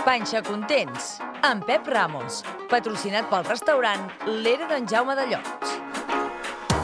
Panxa Contents, amb Pep Ramos, patrocinat pel restaurant L'Era d'en Jaume de Llots.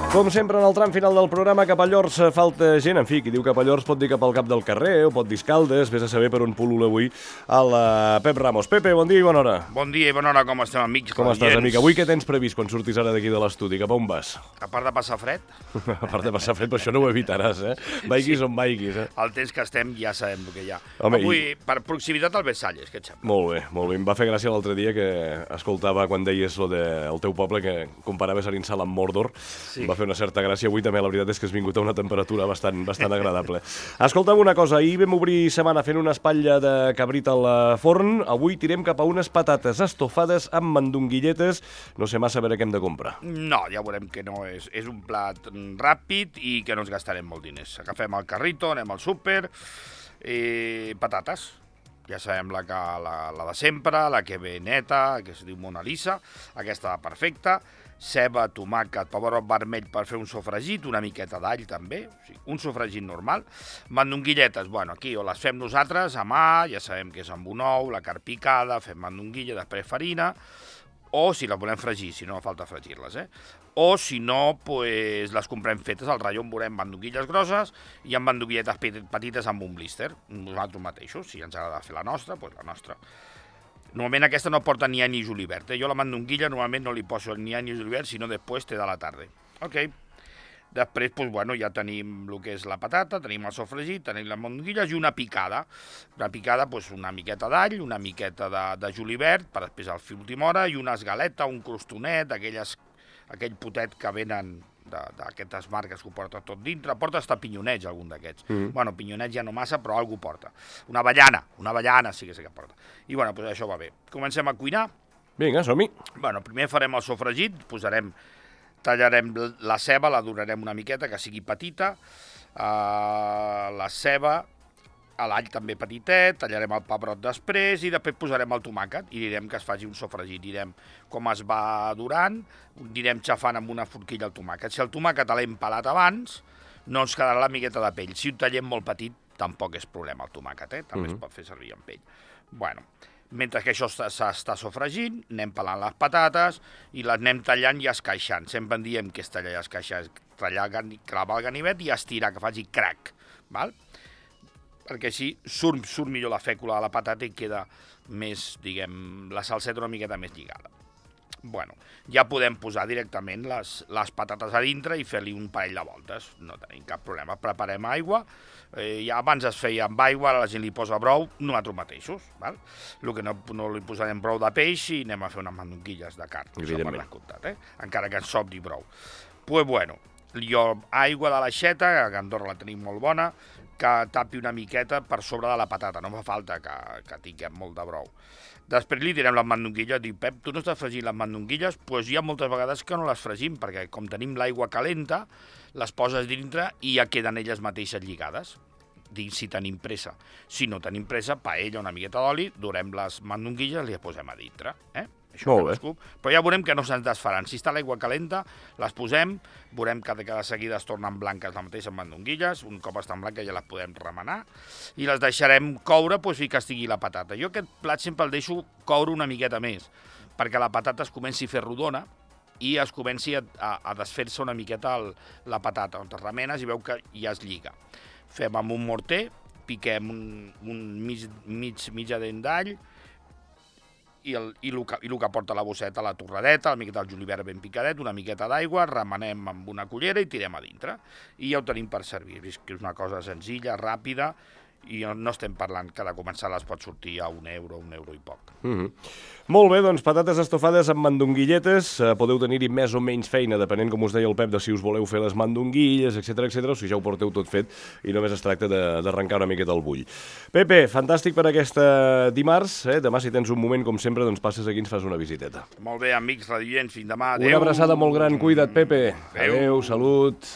Com sempre, en el tram final del programa, cap a Llors falta gent. En fi, qui diu cap a Llors pot dir cap al cap del carrer o pot dir Escaldes. Vés a saber per on pul·lula avui el Pep Ramos. Pepe, bon dia i bona hora. Bon dia i bona hora, com estem, amics? Com estàs, amic? Avui què tens previst quan surtis ara d'aquí de l'estudi? Cap a on vas? A part de passar fred, A part de passar fred, però això no ho evitaràs, eh? Vaiguis on vaiguis, eh? el temps que estem ja sabem el que hi ha. Home, avui, per proximitat al Versalles, què et sembla? Molt bé, molt bé. Em va fer gràcia l'altre dia que escoltava quan deies lo del teu poble, que comparaves Arinsal amb Mordor. Sí. Em va fer una certa gràcia. Avui també la veritat és que has vingut a una temperatura bastant agradable. Escolta'm una cosa, ahir vam obrir setmana fent una espatlla de cabrit al forn. Avui tirem cap a unes patates estofades amb mandonguilletes. No sé massa a veure què hem de comprar. No, ja veurem que no és. És un plat ràpid i que no ens gastarem molt diners. Agafem el carrito, anem al súper, patates. Ja sabem la de sempre, la que ve neta, que es diu Mona Lisa, aquesta va perfecta. Ceba, tomàquet, pebrot vermell per fer un sofregit, una miqueta d'all també, o sigui, un sofregit normal. Mandonguilletes, bueno, aquí o les fem nosaltres a mà, ja sabem que és amb un ou, la carn picada, fem mandonguilla, després farina, o si les volem fregir, si no falta fregir-les, o si no, pues, les comprem fetes al ratlló, on veurem mandonguilles grosses i amb mandonguilletes petites amb un blister, nosaltres mateixos, si ens agrada fer la nostra, doncs la nostra. Normalment aquesta no porta ni any ni julivert. Jo la mandonguilla normalment no li poso ni any ni julivert, sinó després té de la tarda. Ok. Després, doncs, bueno, ja tenim el que és la patata, tenim el sofregit, tenim les mandonguilles i una picada. Una picada, doncs, una miqueta d'all, una miqueta de julivert, per després al fi última hora, i una esgaleta, un crostonet, aquell potet que venen d'aquestes marques que ho porta tot dintre. Porta hasta pinyonets, algun d'aquests. Bueno, pinyonets ja no massa, però algú porta. Una avellana sí que sé que porta. I bueno, doncs això va bé. Comencem a cuinar. Vinga, som-hi. Bueno, primer farem el sofregit, tallarem la ceba, la donarem una miqueta, que sigui petita, la ceba, l'all també petitet, tallarem el pebrot després i després posarem el tomàquet i direm que es faci un sofregit, direm com es va durant, direm xafant amb una forquilla el tomàquet. Si el tomàquet l'hem pelat abans, no ens quedarà la miqueta de pell. Si ho tallem molt petit, tampoc és problema el tomàquet, també es pot fer servir amb pell. Bueno, mentre que això s'està sofregint, anem pelant les patates i les anem tallant i escaixant. Sempre en diem que és tallar i escaixar, clavar el ganivet i estirar, que faci crac, val? Perquè així surt millor la fècula de la patata i queda més, diguem, la salseta una miqueta més lligada. Bueno, ja podem posar directament les patates a dintre i fer-li un parell de voltes, no tenim cap problema. Preparem aigua, ja abans es feia amb aigua, ara la gent li posa brou, nosaltres mateixos, val? El que no li posarem brou de peix i anem a fer unes mandonguilles de carn, Evidentment. encara que ens sobri brou. Pues bueno, jo aigua de l'aixeta, que a Andorra la tenim molt bona, que tapi una miqueta per sobre de la patata, no fa falta que tinguem molt de brou. Després li tirem les mandonguilles, diu, Pep, tu no estàs fregint les mandonguilles? Doncs hi ha moltes vegades que no les fregim, perquè com tenim l'aigua calenta, les poses dintre i ja queden elles mateixes lligades, si tenim pressa. Si no tenim pressa, paella, una miqueta d'oli, durem les mandonguilles i les posem a dintre, Això molt bé. Però ja veurem que no se'ns desfaran. Si està l'aigua calenta, les posem, veurem que de seguida es tornen blanques les mateixes mandonguilles, un cop estan blanques ja les podem remenar, i les deixarem coure fins que estigui la patata. Jo aquest plat sempre el deixo coure una miqueta més, perquè la patata es comenci a fer rodona i es comenci a desfer-se una miqueta la patata, on es remenes i veu que ja es lliga. Fem amb un morter, piquem un mitja dent d'all, i el que porta la bosseta, la torradeta, una miqueta del julivert ben picadet, una miqueta d'aigua, remenem amb una cullera i tirem a dintre. I ja ho tenim per servir. És que és una cosa senzilla, ràpida, i no estem parlant que de començar les pot sortir a €1, €1 i poc. Molt bé, doncs patates estofades amb mandonguilletes. Podeu tenir-hi més o menys feina, depenent, com us deia el Pep, de si us voleu fer les mandonguilles, etc, o si ja ho porteu tot fet i només es tracta d'arrencar una miqueta el bull. Pepe, fantàstic per aquesta dimarts. Demà, si tens un moment, com sempre, doncs passes aquí i ens fas una visiteta. Molt bé, amics radiants, fins demà. Adéu. Una abraçada molt gran. Cuida't, Pepe. Adéu. Adéu, salut.